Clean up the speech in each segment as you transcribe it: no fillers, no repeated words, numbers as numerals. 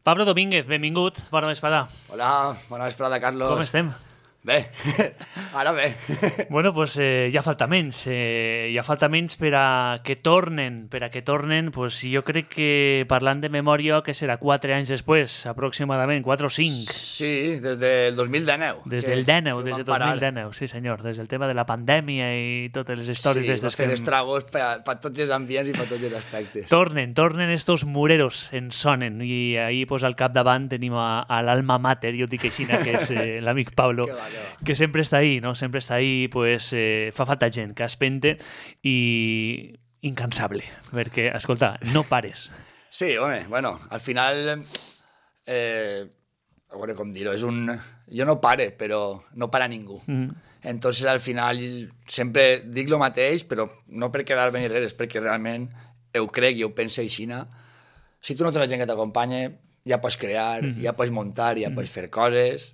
Pablo Domínguez, benvingut, bona vesprada. Hola, bona vesprada, Carlos. Com estem? Bé, ara bé. Bueno, pues ja falta menys per a que tornen, pues jo crec que parlant de memòria, que serà 4 anys després, aproximadament, 4 o 5. Sí, des del 2019. Des del 2019, sí senyor, des del tema de la pandèmia i totes les històries sí, d'estes que... Sí, estragos per tots els ambients i per tots els aspectes. Tornen estos mureros, ens sonen, i ahí pues al capdavant tenim a l'alma mater, jo dic així, que és l'amic Pablo, que sempre està ahí, no? Sempre està ahí, pues fa falta gent que espente i incansable, perquè, escolta, no pares. Sí, home, bueno, al final, a veure com dir-ho, és un... Jo no pare, però no para ningú. Entonces, al final, sempre dic lo mateix, però no per quedar-me ni res, és perquè realment ho crec i ho penso així. Si tu no tens la gent que t'acompanya, ja pots crear, ja pots muntar, ja pots fer coses...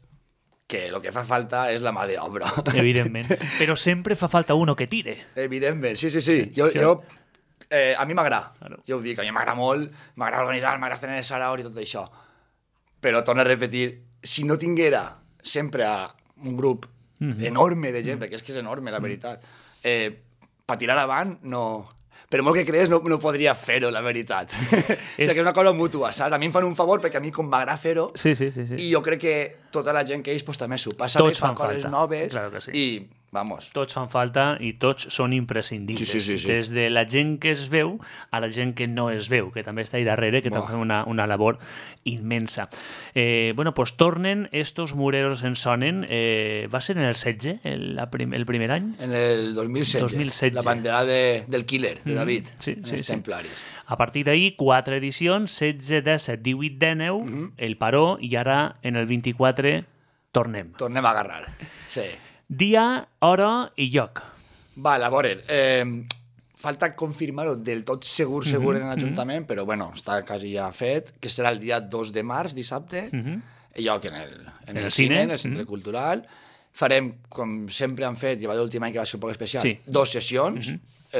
que el que fa falta és la mà d'obra. Evidentment. Però sempre fa falta uno que tire. Evidentment, sí. A mi m'agrada. Claro. Jo ho dic, a mi m'agrada molt, m'agrada organitzar, m'agrada tenir saraos i tot això. Però torno a repetir, si no tinguera sempre un grup enorme de gent, perquè és que és enorme, la veritat, per tirar avant, no... Per molt que crees, no podria fer-ho, la veritat. O sigui, que és una cosa mútua, saps? A mi em fan un favor perquè a mi com m'agrada fer-ho, sí. I jo crec que tota la gent que ells pues, també s'ho passa bé, fan coses noves, claro que sí. I, vamos... Tots fan falta i tots són imprescindibles. Sí. Des de la gent que es veu a la gent que no es veu, que també està ahí darrere, que també fa una labor immensa. Bueno, pues tornen estos mureros en sonen. Va ser en el 16, el primer any? En el 2016. La bandera del Killer, de David, els Templaris. A partir d'ahir, 4 edicions, 16, 17, 18, 19, el paró, i ara, en el 24, tornem. Tornem a agarrar, sí. Dia, hora i lloc. Val, a veure, falta confirmar-ho del tot segur en l'Ajuntament, però bueno, està quasi ja fet, que serà el dia 2 de març, dissabte, lloc en el cine, en el Centre Cultural. Farem, com sempre han fet, i va l'últim any que va ser un poc especial, 2 sessions,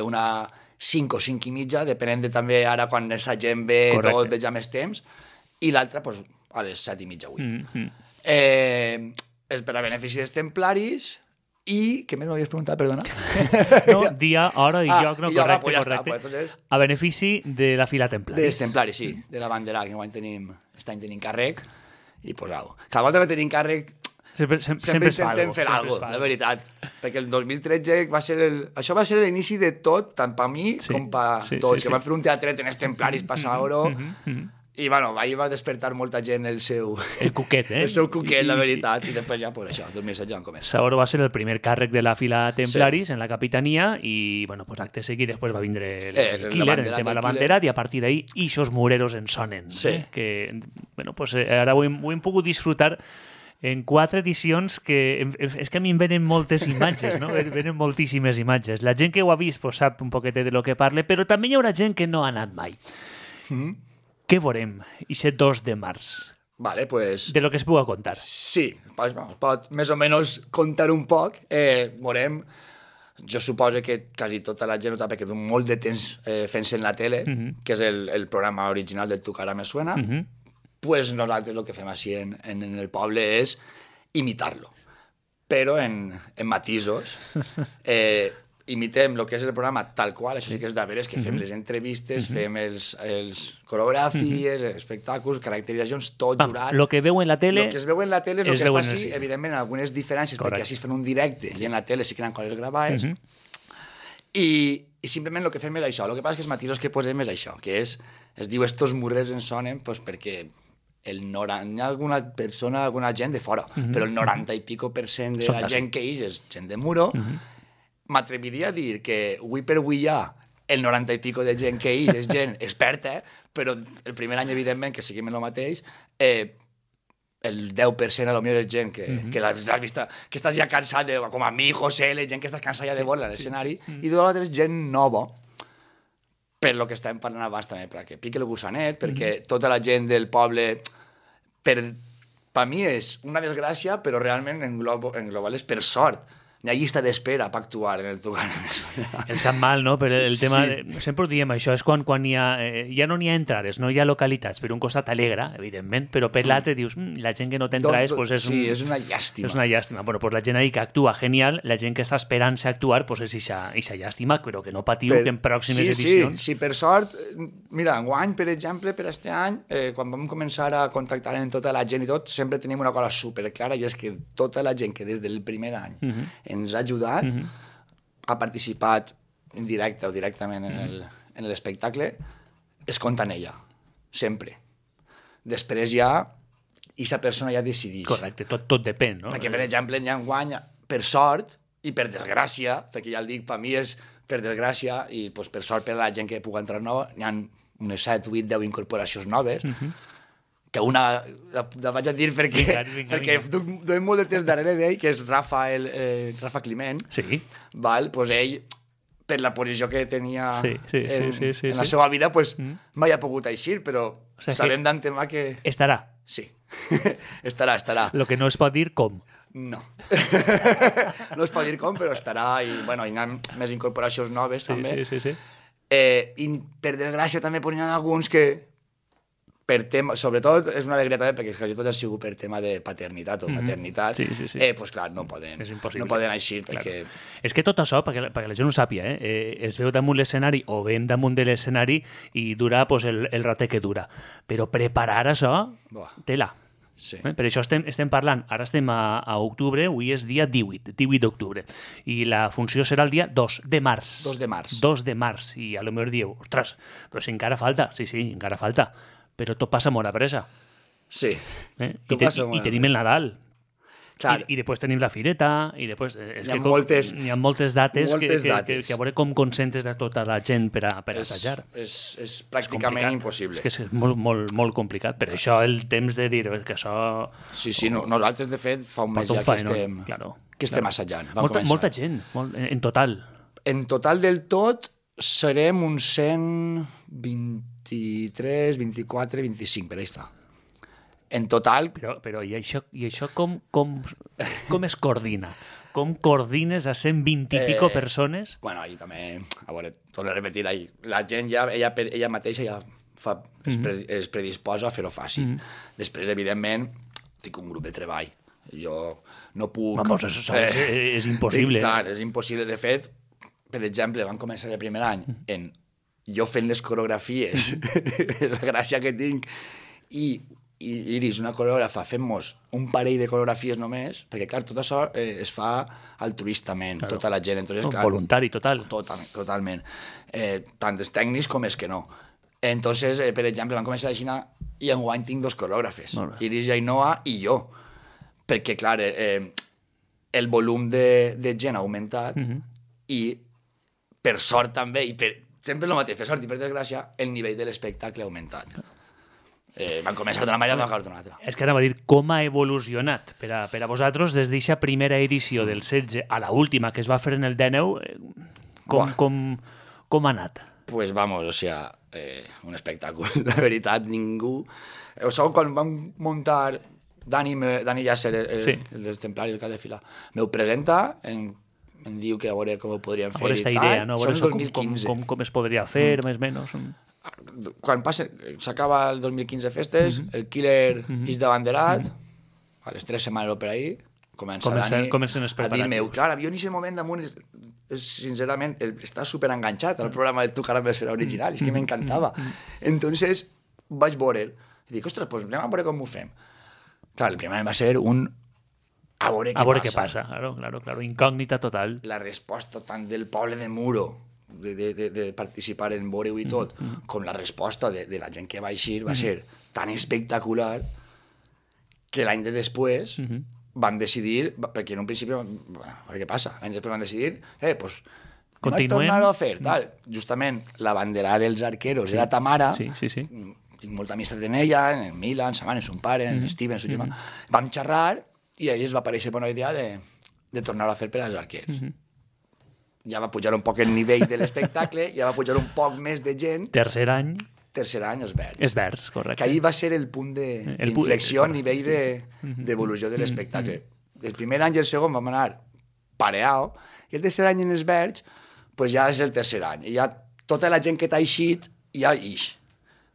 una 5 o 5 i mitja, depenent de també ara quan la gent ve, tot veig més temps, i l'altra pues, a les 7 i mitja, 8. És per a benefici dels templaris i... Què més m'havies preguntat, perdona? No, dia, hora i lloc, no, correcte. Pues, entonces, a benefici de la fila templaris. Dels templaris, sí, de la bandera, que aquest any tenim càrrec, i pues au. Cada volta que tenim càrrec sempre intentem fer alguna cosa, la veritat. Perquè el 2013 això va ser l'inici de tot, tant per mi com per tots, que van fer un teatret en els templaris per Saoro, i bueno, ahir va despertar molta gent el seu... El cuquet, El seu cuquet, la veritat, i després ja, pues això, 2016 van començar. Saoro va ser el primer càrrec de la fila templaris en la capitania, i bueno, pues acte seguit després va vindre el Killer, el tema de la bandera, i a partir d'ahir, ixos mureros en sonen. Que, bueno, pues ara ho hem pogut disfrutar en 4 edicions que... És que a mi em venen moltes imatges, no? Venen moltíssimes imatges. La gent que ho ha vist pues, sap un poquetet de lo que parle, però també hi haurà gent que no ha anat mai. Què veurem, aquest 2 de març? Vale, pues... De lo que es pugui contar. Sí, pot més o menys contar un poc. Veurem, jo suposo que quasi tota la gent ho sap, perquè du molt de temps fent-se en la tele, que és el programa original del Tu cara me suena, pues nosaltres el que fem així en el poble és imitar-lo, però en matisos. Imitem el que és el programa tal qual, això sí que és de veres, que fem les entrevistes, fem els coreografies, espectacles, caracteritzacions, tot jurat. Lo que veu en la tele... Lo que es veu en la tele és el que fa així, evidentment, algunes diferències, perquè així es fan un directe, i en la tele sí que eren coses gravades, i simplement el que fem és això. El que passa és que els matisos que posem és això, que es diu estos murrers en sonen, pues perquè hi ha alguna persona, alguna gent de fora, però el 90 i pico % de la gent que és gent de muro. M'atreviria a dir que avui per avui ja el 90 i pico de gent que és gent experta, però el primer any, evidentment, que seguim el mateix, el 10% a lo millor és gent que l'has vist, que estàs ja cansat, com a mi, José, la gent que estàs cansat ja de veure l'escenari, i l'altre és gent nova, per lo que estàvem parlant abans també, perquè pique el gussanet, perquè tota la gent del poble, per mi és una desgràcia, però realment en global és per sort, N'hi ha llista d'espera per actuar en el Tucano. El sap mal, no? Però el tema... Sempre ho diem, això és quan hi ha... ja no n'hi ha entrades, no hi ha localitats. Per un costat alegra, evidentment, però per l'altre dius, la gent que no té entrades... és una llàstima. És una llàstima. Bueno, pues la gent ahí que actua genial, la gent que està esperant-se actuar, pues és ixa llàstima, però que no patiu que en pròximes edicions... Sí, per sort... Mira, enguany, per exemple, per este any, quan vam començar a contactar amb tota la gent i tot, sempre tenim una cosa superclara, i és que tota la gent que des del primer any ens ha ajudat, ha participat en directe o directament en l'espectacle, es compta en ella, sempre. Després ja, aquesta persona ja decideix. Correcte, tot depèn, no? Perquè, per exemple, enguany, per sort i per desgràcia, perquè ja el dic, per mi és per desgràcia, i pues, per sort per a la gent que pugui entrar nova, hi ha unes 7, 8, 10 incorporacions noves, que una la vaig a dir perquè duem molt de temps darrere d'ell, que és Rafa Climent. Sí. Val? Pues ell, per la posició que tenia en la sí. seva vida, pues, mai ha pogut eixir, però sabem d'antemà que... Estarà. Sí, estarà. Lo que no es pot dir com. No. No es pot dir com, però estarà, i bueno, hi ha més incorporacions noves, també. Sí. I per desgràcia també hi ha alguns que per tema, sobretot és una alegria també perquè quasi tot ha sigut per tema de paternitat o maternitat, pues clar, no poden eixir perquè... És que tot això, perquè la gent ho sàpia, es veu damunt l'escenari o veiem damunt de l'escenari i dura pues, el ratet que dura. Però preparar això, tela. Sí. Per això estem parlant, ara estem a octubre, avui és dia 18 d'octubre, i la funció serà el dia 2 de març. 2 de març. 2 de març, i a lo millor dieu, ostres, però si encara falta, sí, encara falta, però tot passa molt a pressa. Sí. I tenim el Nadal. Clar. I després tenim la fireta, i després... Hi ha moltes dates que a veure com concentres de tota la gent per assajar. És pràcticament impossible. És que és molt complicat. Per això el temps de dir que això... Sí, nosaltres, de fet, fa un mes ja que estem assajant. Molta gent, en total. En total del tot serem uns 123, 24, 25, per ahí està. En total... Però i això com es coordina? Com coordines a 120 i pico persones? Bueno, ahí també, a veure, torno a repetir, la gent ja, ella mateixa ja es predisposa a fer-ho fàcil. Després, evidentment, tinc un grup de treball. Jo no puc... Vamos, això és impossible. Clar, és impossible. De fet, per exemple, van començar el primer any en jo fent les coreografies, la gràcia que tinc, i Iris, una coreògrafa, fem-nos un parell de coreografies només, perquè, clar, tot això es fa altruistament, tota la gent. Entonces, clar, voluntari, total. Totalment. Tant els tècnics com els que no. Entonces, per exemple, van començar a Xina i enguany tinc 2 coreògrafes, Iris i Ainhoa i jo, perquè, clar, el volum de gent ha augmentat i, per sort també, sempre el mateix, per sort i per desgràcia, el nivell de l'espectacle ha augmentat. Van començar d'una manera i van acabar d'una altra. És que ara va dir com ha evolucionat per a vosaltres des d'aquesta primera edició del 16 a la última que es va fer en el 19, com ha anat? Pues vamos, o sea, un espectacle. La veritat, ningú... O sigui, quan vam muntar Dani Llàcer, el dels Templaris, el cap de fila, m'ho presenta, em diu que a veure com ho podríem fer i tal. Idea, no? Som el 2015. Com es podria fer, més o menys. Quan s'acaba el 2015 festes, el Killer és d'abanderat, a les 3 setmanes o per ahí, comencen a dir-me, clar, jo en aquest moment damunt, sincerament, està superenganxat al programa de Tu Caramel serà original, és que m'encantava. Entonces, vaig veure'l, i dic, ostres, pues anem a veure com ho fem. Clar, el primer va ser un a veure què passa. Claro, incògnita total. La resposta tant del poble de Muro, de participar en veure-ho i tot, com la resposta de la gent que va eixir va ser tan espectacular que l'any de després vam decidir, perquè en un principi a veure què passa, l'any després vam decidir pues continuem, tornar-ho a fer, tal. Justament la banderada dels arqueros era Tamara, tinc molta amistat en ella, en Milan, sa mare, son pare, en Steven, su germà, vam xerrar i a ells va aparèixer bona idea de tornar-ho a fer per als arquers. Ja va pujar un poc el nivell de l'espectacle, ja va pujar un poc més de gent. Tercer any, els Verds. Els Verds, correcte. Que ahir va ser el punt d'inflexió a nivell d'evolució de l'espectacle. El primer any i el segon vam anar pareado, i el tercer any en els Verge, pues ja és el tercer any. I ja tota la gent que t'ha eixit ja ix.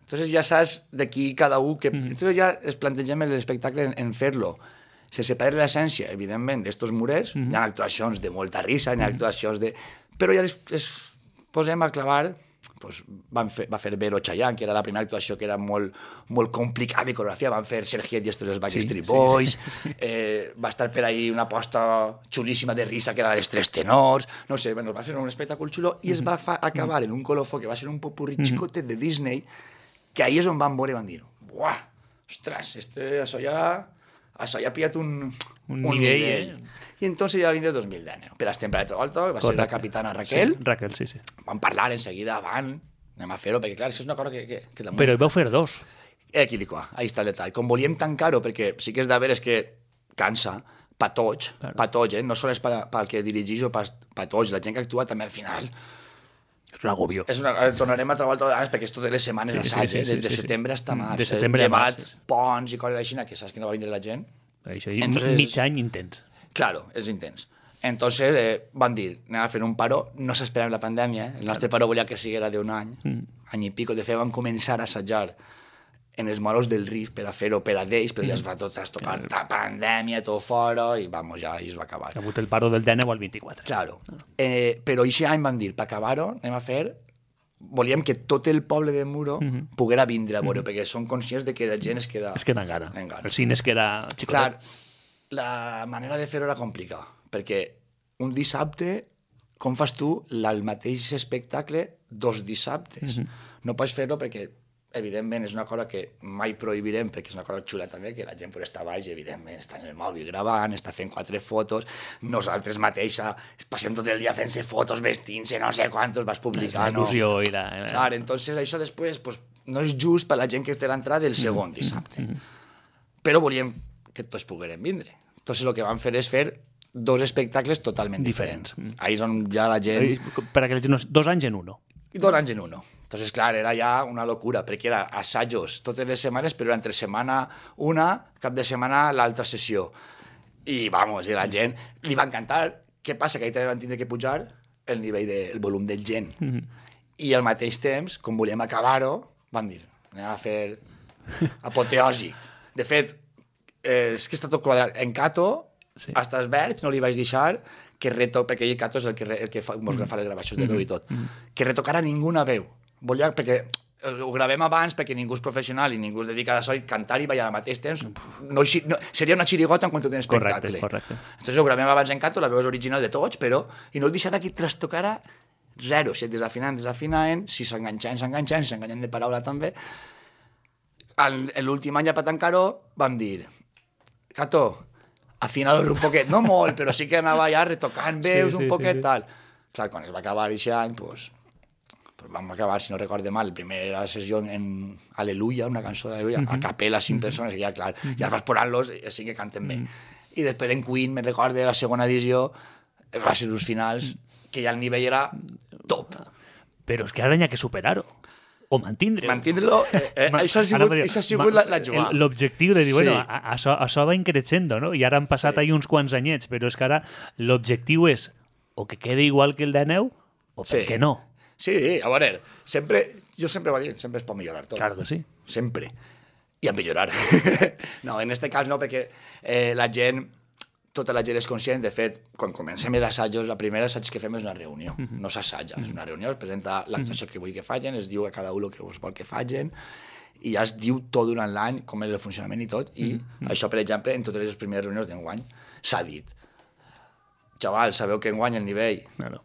Entonces ja saps d'aquí cada un que... Entonces ja es plantegem l'espectacle en fer-lo sense perdre l'essència, evidentment, d'estos murers. Hi ha actuacions de molta risa, hi ha actuacions de... Però ja les posem a clavar... Pues va fer Vero Chayanne, que era la primera actuació que era molt, molt complicada de coreografia, van fer Sergiet i estos els Backstreet Boys, va estar per ahí una aposta xulíssima de risa que era la dels tres tenors, no sé, bueno, va fer un espectacle xulo i es va acabar en un colofó que va ser un popurrí xicotet de Disney, que ahí és on van veure i van dir, buah, ostres, això ja ha pillat un nivell. I entonces ja va vindre el 2019. Per estem per l'altre volta, va ser la capitana Raquel. Sí, Raquel, sí. Van parlar enseguida, anem a fer-ho, perquè clar, això és una cosa que Però hi vau fer dos. Equilicua, ahí està el detall. Com volíem tancar-ho, perquè sí que és de veres que cansa, pa tots, no sols pel que dirigís o pa tots, la gent que actua també al final... És un agobio. Tornarem a treballar totes perquè és totes les setmanes d'assaig, des de setembre fins a març. De setembre a març. Ponts i coses així, que saps que no va vindre la gent. Això, mig any intens. Claro, és intens. Entonces van dir, anem a fer un paró, no s'esperava la pandèmia, el nostre paró volia que siguera d'un any, any i pico, de fet vam començar a assajar en els moros del Riff per a fer-ho per a d'ells, però ja es va tot estopar, pandèmia, tot fora, i vamos, ja es va acabar. Ha hagut el paro del 19 al 24. Claro, però aquest any van dir, per acabar-ho, anem a fer... Volíem que tot el poble de Muro poguera vindre a veure, perquè són conscients de que la gent es queda... Es queda en gana. El cine es queda xicotet. Clar, la manera de fer-ho era complicada, perquè un dissabte, com fas tu el mateix espectacle dos dissabtes? No pots fer-ho perquè, evidentment, és una cosa que mai prohibirem, perquè és una cosa xula també, que la gent pot estar baix, evidentment, està en el mòbil gravant, està fent 4 fotos, nosaltres mateixa passem tot el dia fent-se fotos, vestint-se, no sé quantos vas publicar, no? Clar, entonces això després pues, no és just per la gent que té l'entrada del segon dissabte. Però volíem que tots poguérem vindre. Entonces el que vam fer és fer dos espectacles totalment diferents. Ahí és on ja la gent... Per a que la gent no... 2 anys en uno. I 2 anys en uno. Entonces, clar, era ja una locura, perquè era assajos totes les setmanes, però entre setmana una, cap de setmana l'altra sessió. I, vamos, i la gent li va encantar. Què passa? Que ahí també van tindre que pujar el nivell el volum de gent. I al mateix temps, com volíem acabar-ho, van dir, anem a fer apoteòsic. De fet, és que està tot quadrat. En Cato, hasta els Verge, no li vaig deixar que perquè ell, Cato, és el que mos fa les gravacions de veu i tot, que retocara ninguna veu. Volia, perquè ho gravem abans, perquè ningú és professional i ningú es dedica a això, i cantar i ballar al mateix temps seria una xirigota en quant a espectacle. Correcte. Entonces ho gravem abans en Cato, la veu és original de tots, però i no el deixava que trastocara zero, si et desafinant, si s'enganxaven de paraula també. L'últim any, per tancar-ho, vam dir, Cato, afinar-ho un poquet, no molt, però sí que anava ja retocant veus un poquet, tal. Clar, quan es va acabar aquest any, doncs vam acabar, si no recorde mal, la primera sessió en Aleluia, una cançó d'Aleluia, a capella, 5 persones, i ja, clar, ja vas posant-los, així que canten bé. I després en Queen, me recorde, la segona edició, va ser uns finals que ja el nivell era top. Però és que ara n'hi ha que superar-ho. O mantindre-ho. Mantindre-lo, això ha sigut la jugada. L'objectiu de dir, bueno, això va increixendo, no? I ara han passat ahí uns quants anyets, però és que ara l'objectiu és o que quede igual que el de Neu, o per què no? Sí, a veure, jo sempre va dir, sempre es pot millorar tot. Claro que sí. Sempre. I a millorar. No, en aquest cas no, perquè la gent, tota la gent és conscient. De fet, quan comencem els assajos, la primera assaig que fem és una reunió. No s'assaja, és una reunió, es presenta l'actuació que vull que facin, es diu a cada un el que us vol que facin, i ja es diu tot durant l'any, com és el funcionament i tot, i això, per exemple, en totes les primeres reunions d'enguany s'ha dit. Xaval, sabeu que enguany el nivell... Claro.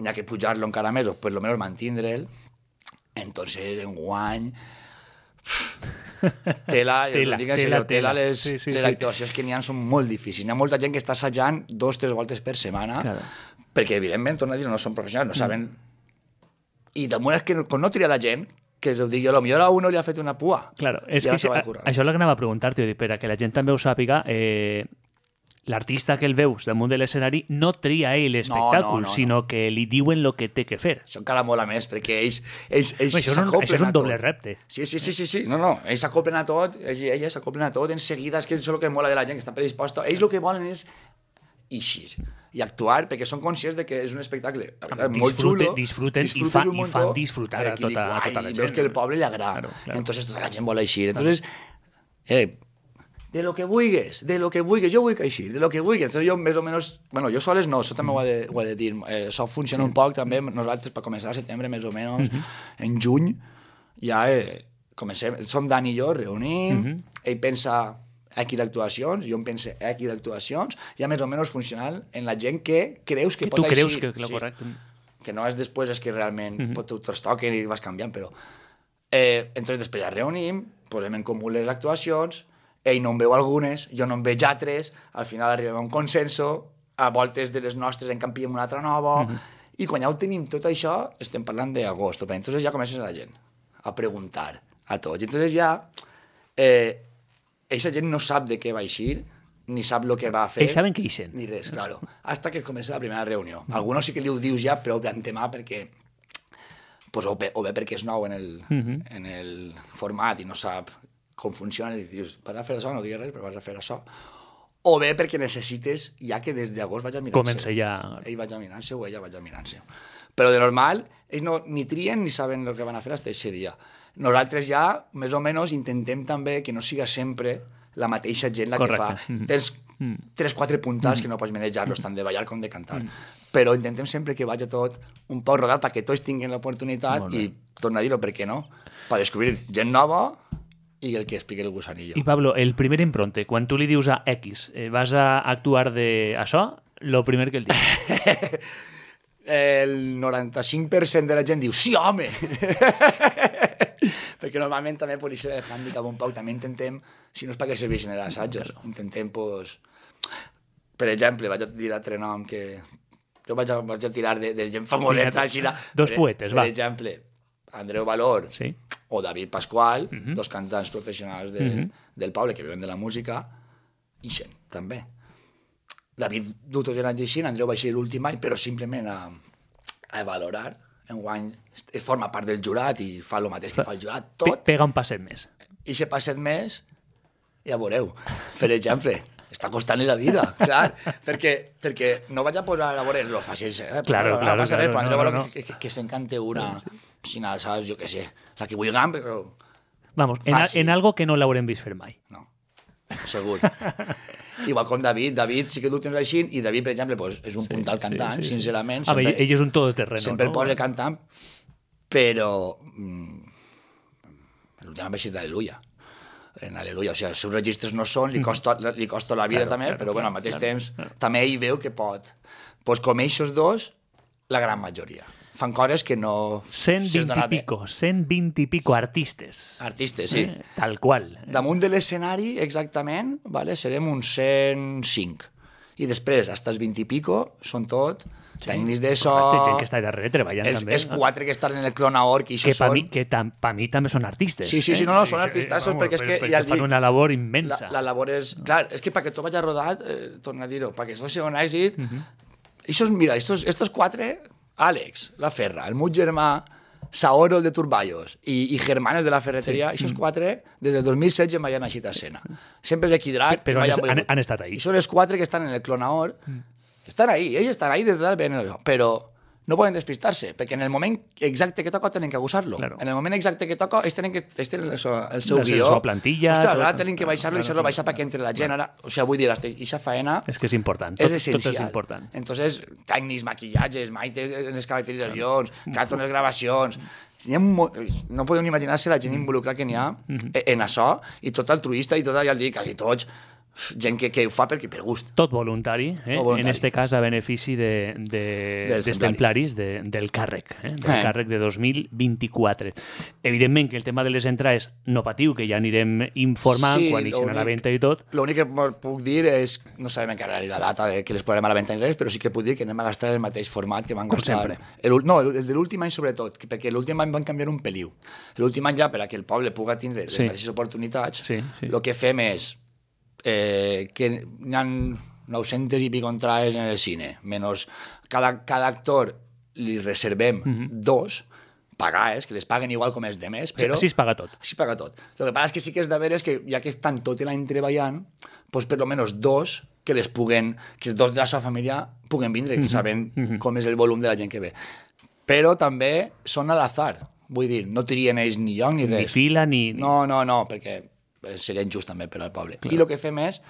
N'hi ha que pujar-lo encara més, o per lo menos mantindre'l. Entonces, enguany... Tela, les actuacions que n'hi ha són molt difícils. N'hi ha molta gent que està assajant 2-3 voltes per setmana, perquè, evidentment, torna a dir, no són professionals, no saben... I damunt és que quan no tria la gent, que us ho dic jo, potser a uno li ha fet una pua. Claro, és que això és el que anava a preguntar-te, per a que la gent també ho sàpiga, l'artista que el veus damunt de l'escenari no tria ell l'espectacle, sinó que li diuen el que té que fer. Això encara mola més, perquè ells s'acoplen a tot. Això és un doble repte. Sí. No. Ells s'acoplen a tot, elles s'acoplen a tot, en seguida, és que això és el que mola de la gent que està predisposta. Ells el que volen és eixir i actuar, perquè són conscients de que és un espectacle molt xulo. Disfruten i fan disfrutar a tota la gent. I veus que el poble li agrada. Entonces tota la gent vol eixir. Entonces, de lo que vulguis, jo vull que eixir, de lo que vulguis. Entonces jo més o menys, bueno, jo soles no, això també ho he de dir, això funciona un poc també, nosaltres per començar a setembre més o menys, en juny, ja comencem, som Dani i jo, reunim, ell pensa X d'actuacions, jo em pense X d'actuacions, ja més o menys funcional en la gent que creus que pot eixir. Tu creus que correcte. Que no és després, és que realment t'ho trastoquen i vas canviant, però... Entonces després ja reunim, posem en comú les actuacions, ell no en veu algunes, jo no en veig altres, al final arribem a un consenso, a voltes de les nostres en canviem una altra nova, i quan ja ho tenim tot això, estem parlant d'agost, entonces ja comences a la gent a preguntar a tots, i entonces ja... Eixa gent no sap de què va eixir, ni sap el que va fer. Ells saben que eixen. Ni res, claro. Hasta que comença la primera reunió. Algunos sí que li ho dius ja, però d'antemà perquè... Pues, o bé perquè és nou en el format i no sap com funciona i dius, vas a fer això, no digues res, però vas a fer això. O bé perquè necessites ja que des d'agost vaig a mirar-se. Comença ja... Ell vaig a mirar-se o ella vaig a mirar-se. Però de normal, ells no, ni trien ni saben el que van a fer fins aquest dia. Nosaltres ja, més o menys, intentem també que no siga sempre la mateixa gent la que fa. Tens 3-4 puntals que no pots manejar-los tant de ballar com de cantar. Però intentem sempre que vagi tot un poc rodat perquè tots tinguin l'oportunitat i, torno a dir-ho, per què no? Per descobrir gent nova i el que expliqui el gusanillo. I Pablo, el primer impronte, quan tu li dius a X, vas a actuar d'això, lo primer que el dius? El 95% de la gent diu sí, home! Perquè normalment també per això el hàndicap un poc, també intentem, si no és perquè serveixen els assajos, intentem, pues, per exemple, vaig a dir altre nom que... Jo vaig a tirar de gent famoseta, així de... Dos poetes, va. Per exemple, Andreu Valor o David Pasqual, dos cantants professionals del poble que viuen de la música, ixen, també. David du tot l'any així, Andreu va ser l'últim any, però simplement a valorar. Enguany forma part del jurat i fa el mateix que fa el jurat, tot. Pega un passet més. I si passet més, ja veureu. Per exemple, està costant la vida, clar, perquè no vaig a posar a veure lo fàcil, claro, no passa res, però Andreu que s'encante una, si no, saps, jo què sé, la que vulguem, però... Vamos, en algo que no l'haurem vist fer mai. No, segur. Igual com David sí que tu tens així, i David, per exemple, pues, és un puntal cantant, sincerament. Sempre, ell és un todoterreno. Sempre el posa cantant, però l'últim va ser d'Aleluia. En Aleluia, o sigui, els seus registres no són, li costa la vida també, però bueno, al mateix temps també ell veu que pot. Pues com ells dos, la gran majoria. Fan coses que no... 120 i pico artistes. Artistes, sí. Tal qual. Damunt de l'escenari, exactament, vale, serem uns 105. I després, fins als 20 i pico, són tot tècnics de so... Gent que està darrere treballant també. Els 4 que estan en el Clonaor, que això són... Que per mi també són artistes. Sí, no, són artistes, perquè és que... Perquè fan una labor immensa. La labor és... Clar, és que perquè tot vagi rodat, torna a dir-ho, perquè això sigui un èxit... Mira, estos 4... Àlex, la Ferra, el meu germà, Saoro, el de Turballos, i Germán, el de la ferreteria, aquests 4, des del 2016 mai han eixit a escena. Sempre és equidrat. Però han estat ahí. I són els 4 que estan en el Clonaor, que estan ahí, ells estan ahí des de dalt, però no poden despistar-se, perquè en el moment exacte que toca tenen que abusar-lo. Claro. En el moment exacte que toca, ells tenen el seu guió. La seva plantilla. Ostres, ara tenen que baixar-lo i deixar-lo baixar perquè entre la gent. Ara, o sigui, vull dir, aquesta faena... És que és important. És essencial. Tot és important. Entonces, tècnics, maquillatges, les caracteritzacions, canto les gravacions... No podeu ni imaginar-se la gent involucrada que n'hi ha en això, i tot altruista, i tot, ja el dic, quasi tots, gent que ho fa per gust. Tot voluntari, en este cas a benefici dels templaris del càrrec, del càrrec de 2024. Evidentment que el tema de les entrades no patiu, que ja anirem informant quan eixen a la venda i tot. L'únic que puc dir és, no sabem encara la data que les posarem a la venda ni res, però sí que puc dir que anem a gastar el mateix format que van gastar. No, el de l'últim any sobretot, perquè l'últim any van canviar un peliu. L'últim any ja, per a que el poble pugui tindre les mateixes oportunitats, el que fem és que n'hi ha 900 i pico entrades en el cine, menys cada actor li reservem 2, pagar, que les paguen igual com els demés, però... Així es paga tot. Així es paga tot. El que passa és que sí que és de veres que, ja que estan tot l'any treballant, doncs per almenys dos que les puguen, que dos de la seva família puguen vindre, sabent com és el volum de la gent que ve. Però també són a l'azar, vull dir, no trien ells ni lloc ni res. Ni fila, ni... No, perquè seria injust també per al poble. Clar. I el que fem és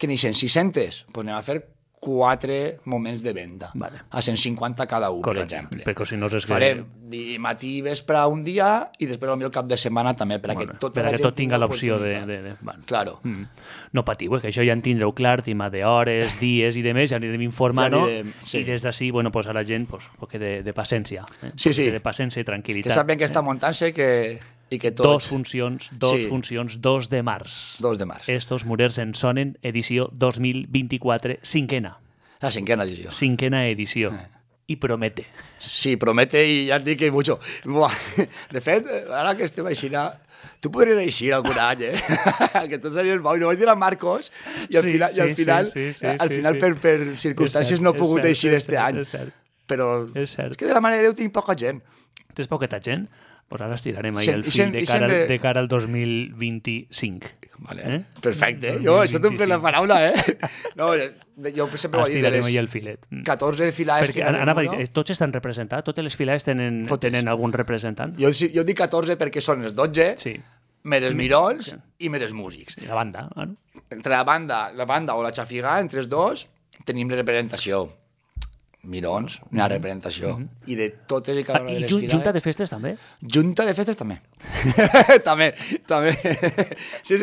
que n'hi 600, doncs anem a fer 4 moments de venda. Vale. A 150 cada un, correcte, per exemple. Perquè si no és que... Farem matí i vespre un dia i després potser el cap de setmana també, perquè tot tinga l'opció de... Bueno. Claro. No patiu, que això ja en tindreu clar, tema d'hores, dies i demés, ja anirem informant, i des d'ací, bueno, pues a la gent, pues, que de paciència. Sí. De paciència i tranquil·litat. Que sàpien que està muntant-se i que tot... Dos funcions, 2 de març. 2 de març. Estos Murers en sonen, edició 2024, cinquena. La cinquena edició. Cinquena edició. I promete. Sí, promete i ja et dic que mucho. Buah. De fet, ara que estem així, tu podries eixir algun any, que tot seria bo. I no vaig dir a Marcos i al final per circumstàncies no he pogut eixir este any. Però és que de la Mare de Déu tinc poca gent. Tens poqueta gent? Pues ara estirarem ahí el fil de cara al 2025. Vale. Perfecte. Jo, això t'ho fet la paraula, No, jo sempre ho he dit. Estirarem ahí el filet. 14 filades... Perquè tots estan representats? Totes les filades tenen algun representant? Jo dic 14 perquè són els 12, més els mirons i més els músics. I la banda, no? Entre la banda o la xafigà, entre els dos, tenim la representació. Mirons, una representació. I de totes i cada una de les filades... I junta de festes també? Junta de festes també. també. Sí.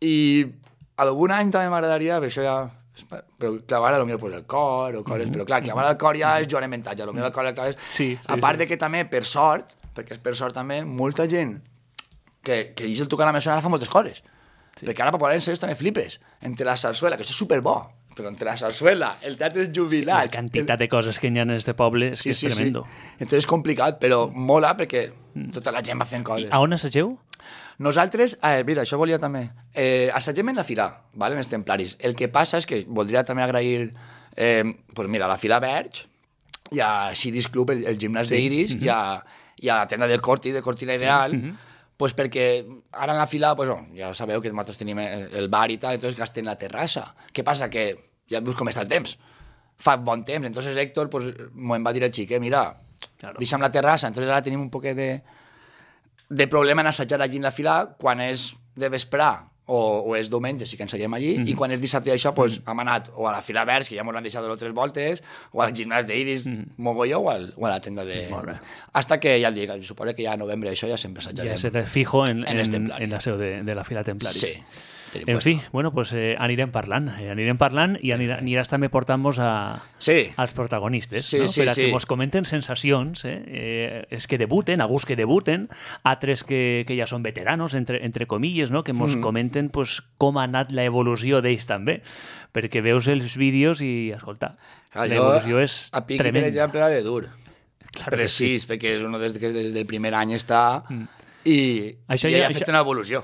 I algun any també m'agradaria, per això ja... Però clavar potser pues, el cor o coses, però clar, clavar el cor ja és Joan Mentatge, potser el cor el claves... A part de que també, per sort, perquè és per sort també, molta gent que el tocar la mesonera fa moltes coses. Perquè ara per poder ensenyar també flipes. Entre la sarsuela, que això és superbo, però entre la sarsuela, el teatre és jubilat... La quantitat de coses que hi ha en este poble és que és tremendo. Entonces és complicat, però mola perquè tota la gent va fent coses. A on assageu? Nosaltres, mira, això volia també... assagem en la fila, en els templaris. El que passa és que voldria també agrair... Doncs mira, a la fila Verge, hi ha Cidis Club, el gimnàs d'Iris, hi ha la tenda del Corti, de Cortina Ideal... Pues perquè ara en la fila, pues, ja sabeu que nosaltres tenim el bar i tal, entonces gastem la terrassa. Què passa? Que ja veus com està el temps. Fa bon temps, entonces Héctor pues, m'ho va dir el xic, mira, deixa'm la terrassa, entonces ara tenim un poc de problema en assajar allí en la fila quan és de vesprar o és diumenge, sí que ensagem allí, i quan és dissabte d'això, pues, hem anat o a la fila Verge, que ja m'ho han deixat 2 o 3 voltes, o al gimnàs d'Iris, mogolló, o a la tenda de... Hasta que, ja el dic, suposo que ja a novembre això ja sempre assajarem. Ja serà fijo en la seu de la fila Templaris. Sí. En fi, bueno, pues anirem parlant i aniràs també portant-nos als protagonistes, no? Per a que mos comenten sensacions, és que debuten, alguns que debuten, altres que ja són veteranos, entre comilles, no? Que mos comenten pues, com ha anat l'evolució d'ells també, perquè veus els vídeos i, escolta, l'evolució és tremenda. A Piqui, per exemple, era de dur. Precís, perquè és uno des del primer any està... I ja ha fet una evolució.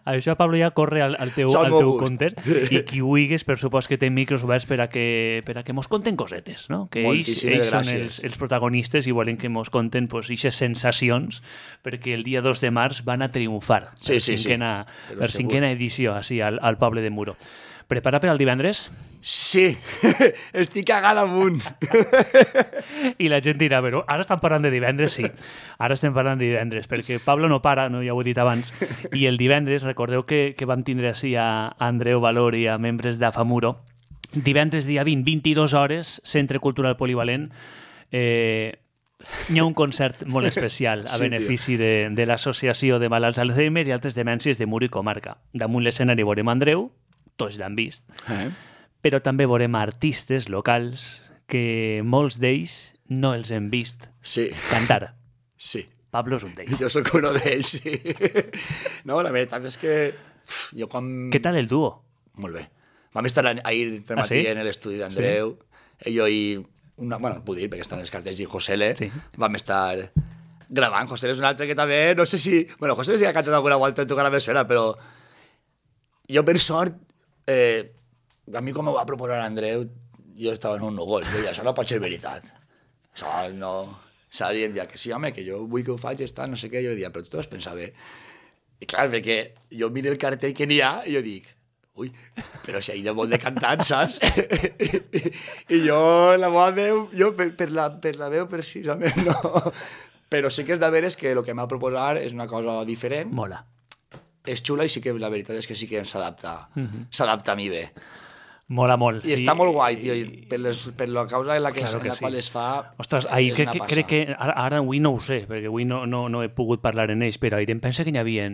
Això, Pablo, ja corre al teu compte i qui ho digues, per supost que té micros oberts per a que mos conten cosetes, no? Que ells són els protagonistes i volen que mos conten aquestes sensacions perquè el dia 2 de març van a triomfar per cinquena edició així al poble de Muro. Prepara per al divendres? Sí, estic cagant amunt. I la gent dirà, però ara estan parlant de divendres? Sí, ara estem parlant de divendres, perquè Pablo no para, no, ja ho he dit abans, i el divendres, recordeu que vam tindre així a Andreu Valor i a membres d'Afamuro, divendres dia 20, 22 hores, Centre Cultural Polivalent, hi ha un concert molt especial a benefici de l'Associació de Malalts Alzheimer i altres demències de Muro i comarca. Damunt l'escenari veurem Andreu, tots l'han vist, però també veurem artistes locals que molts d'ells no els hem vist cantar. Sí. Pablo és un d'ells. Jo sóc un d'ells, sí. No, la veritat és que jo quan... Què tal el dúo? Molt bé. Vam estar ahir per matí en l'estudi d'Andreu, jo i... Bueno, puc dir, perquè estan els cartells i Josele, vam estar gravant. Josele és un altre que també, no sé si... Bueno, Josele sí ha cantat alguna volta en tocar la mesfera, però jo per sort... a mi com ho va proposar Andreu jo estava en un núvol, jo això no pot ser veritat, això no... saps? I em deia que sí, home, que jo vull que ho faig, no sé què. Jo deia, però tu t'ho has pensat bé. I clar, perquè jo miro el cartell que n'hi ha i jo dic, ui, però si hi ha molt de cantants, saps? I jo, la meva veu, jo per la veu precisament no. Però sí que és de veres que el que m'ha proposar és una cosa diferent. Mola. És xula i sí que la veritat és que sí que s'adapta a mi bé. Mola molt. I està molt guai, tio, per la causa en la qual es fa. Ostres, crec que ara avui no ho sé, perquè avui no he pogut parlar en ells, però ahir em pensa que n'hi havia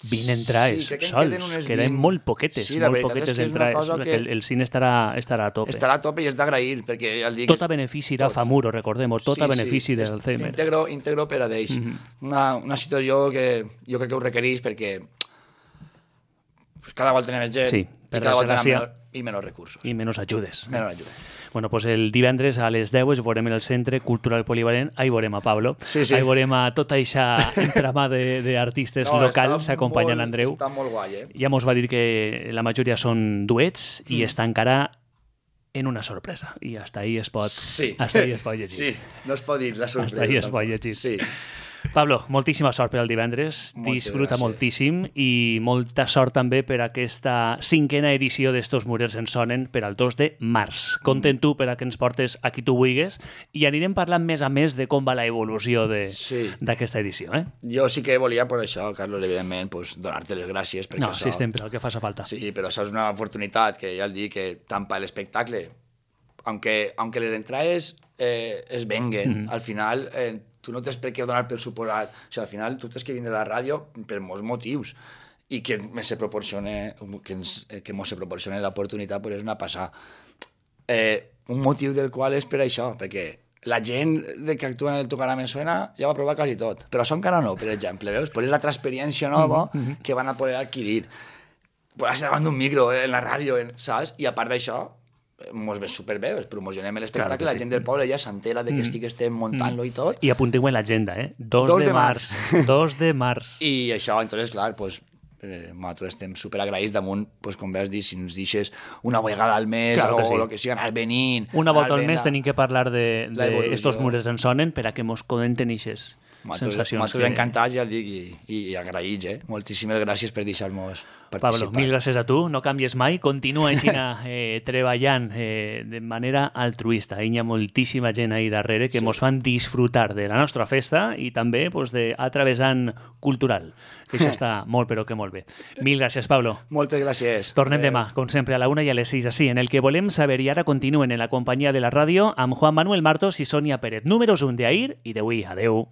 20 entrades sols, que eren molt poquetes, molt poquetes entrades. El cine estarà a tope. Estarà a tope i és d'agrair, perquè ja el dic... Tot a benefici de Famuro, recordem-ho, tot a benefici d'Alzheimer. Íntegro per a d'ells. Una situació que jo crec que ho requereix perquè cada volta tenim més gent i cada volta tenim menys recursos. I menys ajudes. Menys ajudes. Bueno, pues el divendres a les 10 veurem en el Centre Cultural Polivalent, ahí veurem a Pablo, ahí veurem a tota aquesta entrama d'artistes locals acompanyant Andreu. Està molt guai, Ja mos va dir que la majoria són duets i està encara en una sorpresa. I hasta ahí es pot llegir. Sí, no es pot dir la sorpresa. Hasta ahí es pot llegir. Sí. Pablo, moltíssima sort per al divendres, disfruta moltíssim i molta sort també per aquesta 5a edició d'Estos Murers en Sonen per al 2 de març. Compte tu per a que ens portes a qui tu vulguis i anirem parlant més a més de com va l'evolució d'aquesta edició. Jo sí que volia, per això, Carlos, evidentment, donar-te les gràcies. No, sí, sempre, el que faci falta. Sí, però això és una oportunitat que ja el dic que tant per l'espectacle, aunque les entrades es venguen, al final... tu no tens per què donar per suposat. O sigui, al final tu tens que vindre a la ràdio per molts motius i que se proporcione l'oportunitat és una passada. Un motiu del qual és per això, perquè la gent que actua en el Tocarà Me Suena ja va provar quasi tot, però això encara no, per exemple, veus? Però és la experiència nova que van a poder adquirir. Posar-se davant d'un micro en la ràdio, saps? I a part d'això, mos ve superbé, promocionem l'espectacle, la gent del poble ja s'entera de que estem muntant-lo i tot. I apuntem en l'agenda, 2 de març. 2 de març. I això, entonces, clar, nosaltres estem superagraïts damunt, com veus dir, si ens deixes una vegada al mes o el que sigui, anar venint... Una volta al mes tenim que parlar d'Estos Murers en Sonen per a que mos comenten eixes sensacions. Nosaltres encantats, ja el dic, i agraïts, Moltíssimes gràcies per deixar-nos participar. Pablo, mil gràcies a tu, no canvies mai, continua així treballant de manera altruista. Hi ha moltíssima gent ahí darrere que mos fan disfrutar de la nostra festa i també d'altre vessant cultural, que això està molt però que molt bé. Mil gràcies, Pablo. Moltes gràcies. Tornem demà, com sempre, a la 1 i a les 6, així, en el que volem saber, i ara continuen en la companyia de la ràdio amb Juan Manuel Martos i Sònia Pérez. Números 1 d'ahir i d'avui. Adeu.